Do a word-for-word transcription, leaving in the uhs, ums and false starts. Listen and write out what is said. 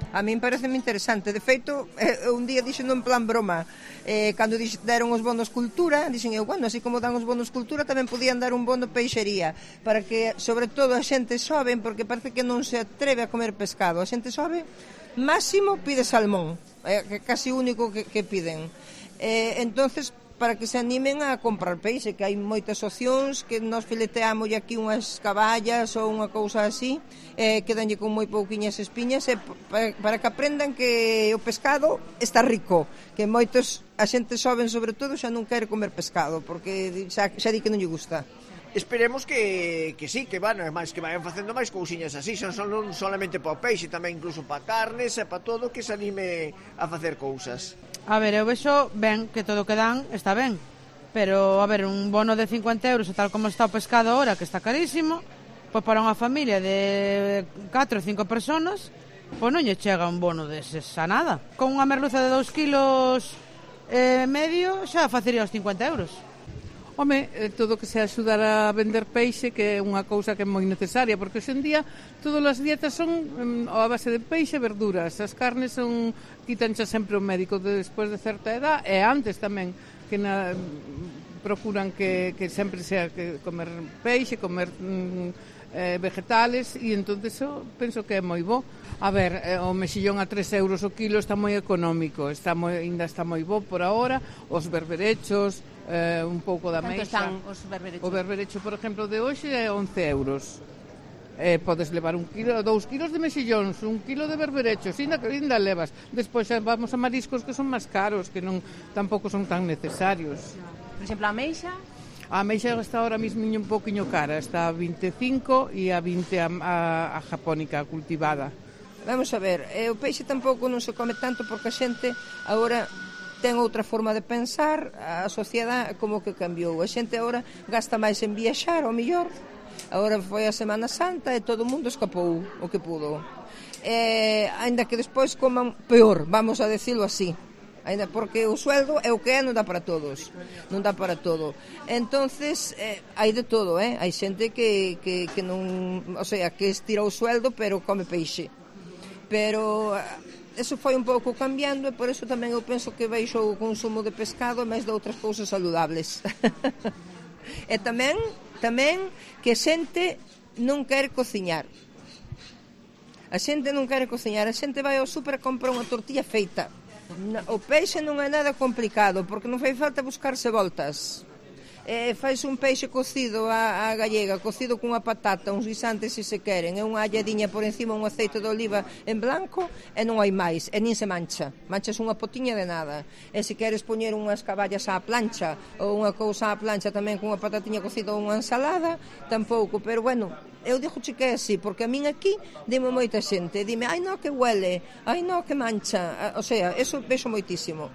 A min pareceme interesante. De feito, eh, un día dixen en plan broma, eh, cando dix, deron os bonos cultura, dixen eu, bueno, así como dan os bonos cultura, tamén podían dar un bono peixería, para que, sobre todo, a xente xoven, porque parece que non se atreve a comer pescado. A xente xoven, máximo pide salmón, é eh, casi único que, que piden. Eh, entonces, para que se animen a comprar peixe, que hai moitas opcións, que nos fileteamos aquí unhas caballas ou unha cousa así, eh, que danlle con moi pouquiñas espiñas, e para, para que aprendan que o pescado está rico, que moitos, a xente xoven sobre todo, xa non quere comer pescado, porque xa, xa di que non lle gusta. Esperemos que, que sí, que van, máis que vayan facendo máis cousiñas así, son, son non solamente para o peixe, tamén incluso para carnes e para todo, que se anime a facer cousas. A ver, eu vexo ben que todo o que dan está ben, pero, a ver, un bono de cincuenta euros, tal como está o pescado ahora, que está carísimo, pois para unha familia de catro ou cinco personas, pois non lle chega un bono deses a nada. Con unha merluza de dous kilos e medio xa facería os cincuenta euros. Home, todo que se axudar a vender peixe, que é unha cousa que é moi necesaria, porque hoxe en día todas as dietas son um, a base de peixe e verduras. As carnes son, quitancha sempre o médico de, despois de certa edad, e antes tamén, que na, procuran que, que sempre sea que comer peixe, comer um, eh, vegetales, e entón eso penso que é moi bo. A ver, eh, o mexillón a tres euros o kilo está moi económico, está moi, ainda está moi bo por ahora, os berberechos, eh, un pouco da meixa. Canto están os berberechos? O berberecho, por exemplo, de hoxe é once euros. Eh, podes levar un kilo, dous kilos de mexillóns, un kilo de berberechos, ainda que ainda levas. Despois xa vamos a mariscos que son máis caros, que non tampouco son tan necesarios. Por exemplo, a meixa? A meixa está ahora mismo un poquinho cara, está a vinte e cinco e a vinte a, a, a japónica cultivada. Vamos a ver, eh, o peixe tampouco non se come tanto porque a xente agora ten outra forma de pensar, a sociedade como que cambiou. A xente agora gasta máis en viaxar, ao mellor. Agora foi a Semana Santa e todo o mundo escapou o que pudo. Eh, ainda que despois coman peor, vamos a decirlo así. Ainda porque o sueldo é o que é, non dá para todos. Non dá para todo. Entonces, eh, hai de todo, eh? Hai xente que, que, que non, o sea, que estira o sueldo, pero come peixe. Pero eso foi un pouco cambiando e por eso tamén eu penso que baixou o consumo de pescado e máis de outras cousas saludables. E tamén, tamén que a xente non quere cociñar. A xente non quere cociñar, a xente vai ao súper e compra unha tortilla feita. O peixe non é nada complicado, porque non fai falta buscarse voltas. Eh, fais un peixe cocido a, a gallega, cocido cunha patata, uns guisantes se se queren, é unha alladiña por encima, un aceite de oliva en blanco, e non hai máis, e nin se mancha, manchas unha potiña de nada. E se queres poñer unhas caballas á plancha, ou unha cousa á plancha tamén cunha patatiña cocida ou unha ensalada, tampouco, pero bueno, eu dixo che que é así, porque a min aquí dime moita xente, dime, ai no que huele, ai no que mancha, o sea, eso vexo moitísimo.